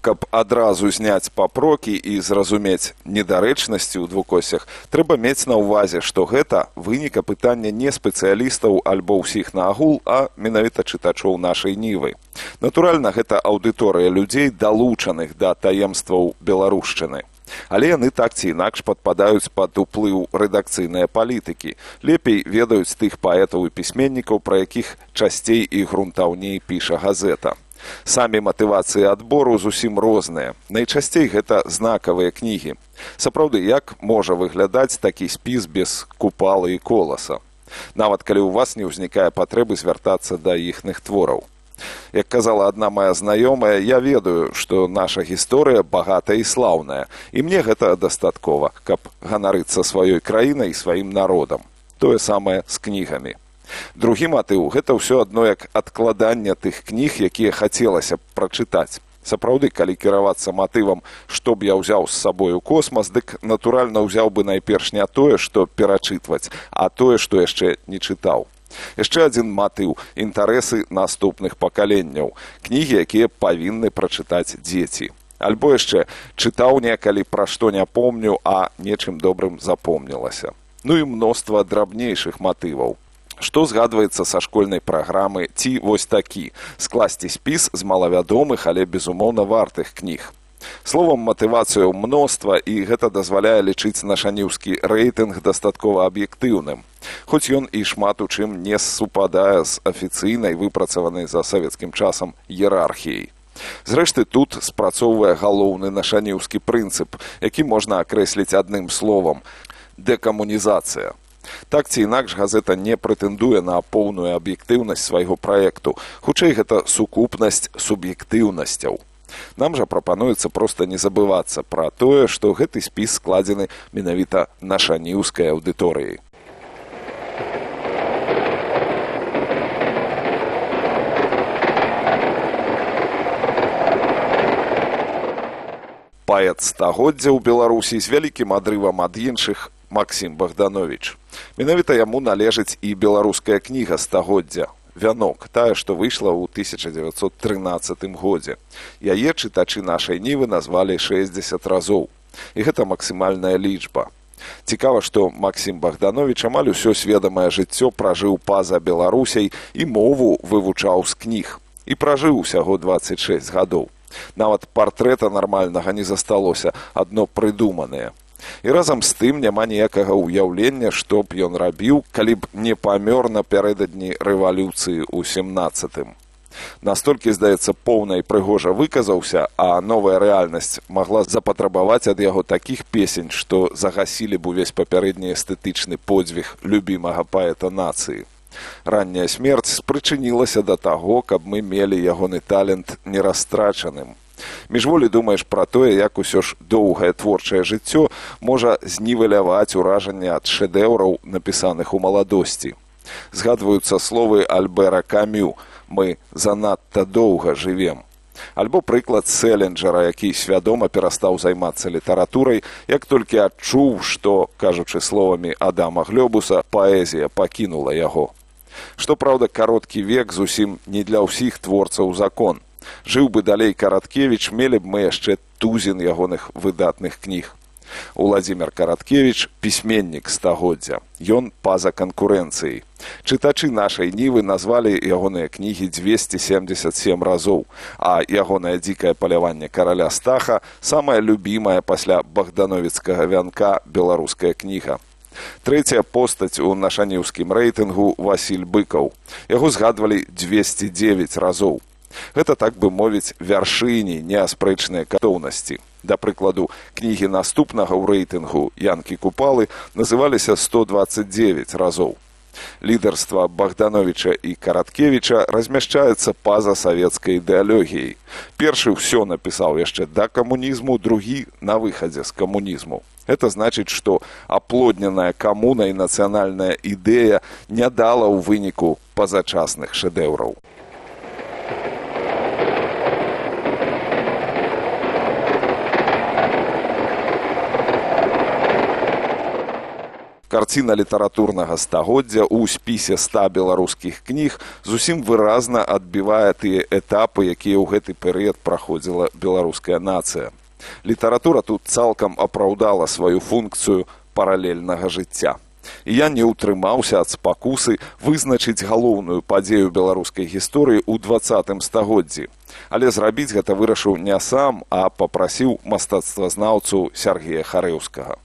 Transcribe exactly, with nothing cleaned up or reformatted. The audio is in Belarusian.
каб адразу зняць папрокі і зразумець недарэчнасці ў двукосях, трэба мець на ўвазе, што гэта вынік апытання не спецыялістаў альбо ўсіх на агул, а менавіта чытачоў нашай нівы. Натуральна, гэта аўдыторыя людзей, далучаных да таемстваў беларушчыны. Але яны так ці інакш падпадаюць пад уплыў рэдакцыйнай палітыкі, лепей ведаюць тых паэтаў і пісьменнікаў, пра якіх часцей і грунтаўней піша газета. Самі матывацыі адбору зусім розныя. Найчасцей гэта знакавыя кнігі. Сапраўды, як можа выглядаць такі спіс без купалы і коласа? Нават калі ў вас не ўзнікае патрэбы звяртацца да іхных твораў. Як казала адна моя знаёмая, я ведаю, што наша гісторыя багатая і слаўная, і мне гэта дастаткова, каб ганарыцца сваёй краінай і сваім народам. Тое самае з кнігамі. Другі матыў – гэта ўсё адно як адкладанне тых кніг, якія хацелася б прачытаць. Сапраўды, калі кіравацца матывам, што б я ўзяў з сабой у космас, дык натуральна ўзяў бы найперш не тое, што перачытваць, а тое, што яшчэ не чытаў. Яшчэ адзін матыў – інтарэсы наступных пакаленняў, кнігі, якія павінны прачытаць дзеці. Альбо яшчэ чытаў некалі, пра што не помню, а нечым добрым запомнілася. Ну і мноства драбнейшых матываў. Што згадваецца са школьнай праграмы ці вось такі – скласці спіс з малавядомых, але безумоўна вартых кніг. Словам, матывацыяў мноства, і гэта дазваляе лічыць нашаніўскі рэйтынг дастаткова аб'ектыўным. Хоць ён і шмат у чым не супадае з афіцыйнай, выпрацаванай за савецкім часам іерархіяй. Зрэшты, тут спрацоўвае галоўны нашаніўскі прынцып, які можна акрэсліць адным словам – дэкамунізацыя. Так ці інакш газета не прэтэндуе на поўную аб'ектыўнасць свайго праекту, хутчэй гэта сукупнасць суб'ектыўнасцяў. Нам жа прапануецца проста не забывацца пра тое, што гэты спіс складзены менавіта нашаніўскай аўдыторыяй. Паэт стагоддзя ў Беларусі з вялікім адрывам ад іншых Максім Богданович. Менавіта яму належыць і беларуская кніга стагоддзя «Вянок», тая, што выйшла ў тысяча дзевяцьсот трынаццатым годзе. Яе чытачы нашай нівы назвалі шэсцьдзесят разоў. І гэта максімальная лічба. Цікава, што Максім Богданович амаль усё сведамае жыццё пражыў па-за Беларусяй і мову вывучаў з кніг. І пражыў усяго дваццаць шэсць гадоў. Нават партрэта нармальнага не засталося, адно прыдуманае. І разам з тым няма ніякага ўяўлення, што б ён рабіў, калі б не памёр напярэдадні рэвалюцыі ў сямнаццатым. Настолькі, здаецца, поўна і прыгожа выказаўся, а новая рэальнасць магла запатрабаваць ад яго такіх песень, што загасілі б увесь папярэдні эстэтычны подзвіг любімага паэта нацыі. Ранняя смерць спрычынілася да таго, каб мы мелі ягоны талент нерастрачаным. Міжволі думаеш пра тое, як усё ж доўгае творчае жыццё можа знівеляваць уражанне ад шэдэўраў, напісаных у маладосці. Згадваюцца словы Альбера Камю «Мы занадта доўга жывем». Альбо прыклад Селінджера, які свядома перастаў займацца літаратурай, як толькі адчуў, што, кажучы словамі Адама Глёбуса, паэзія пакінула яго. Што, праўда, кароткі век зусім не для ўсіх творцаў закон. Жыў бы далей Караткевіч, мелі б мы яшчэ тузін ягоных выдатных кніг. Уладзімір Караткевіч – пісьменнік стагоддзя. Ён па-за канкурэнцыяй. Чытачы нашай нівы назвалі ягоныя кнігі дзвесце семдзесят сем разоў, а ягонае дзікае паляванне караля Стаха – самая любімая пасля богдановіцкага вянка беларуская кніга. Трэцяя постаць у нашаніўскім рэйтынгу – Васіль Быкаў. Яго згадвалі дзвесце дзевяць разоў. Гэта, так бы мовіць, вяршыні неаспрэчнай катоўнасці. Да прыкладу, кнігі наступнага ў рэйтынгу «Янкі Купалы» называліся сто дваццаць дзевяць разоў. Лідарства Богдановича і Караткевіча размяшчаецца па-за савецкай ідэалогіяй. Першы ўсё напісаў яшчэ да камунізму, другі на выхадзе з камунізму. Это значыць, што аплодненая камуна і нацыянальная ідэя не дала ў выніку пазачасных шэдэўраў. Карціна літаратурнага стагоддзя ў спісе ста беларускіх кніг зусім выразна адбівае тыя этапы, якія ў гэты перыяд праходзіла беларуская нацыя. Літаратура тут цалкам апраўдала сваю функцыю паралельнага жыцця. І я не ўтрымаўся ад спакусы вызначыць галоўную падзею беларускай гісторыі ў дваццатым стагоддзі. Але зрабіць гэта вырашыў не сам, а папрасіў мастацтвазнаўцу Сяргея Харэўскага.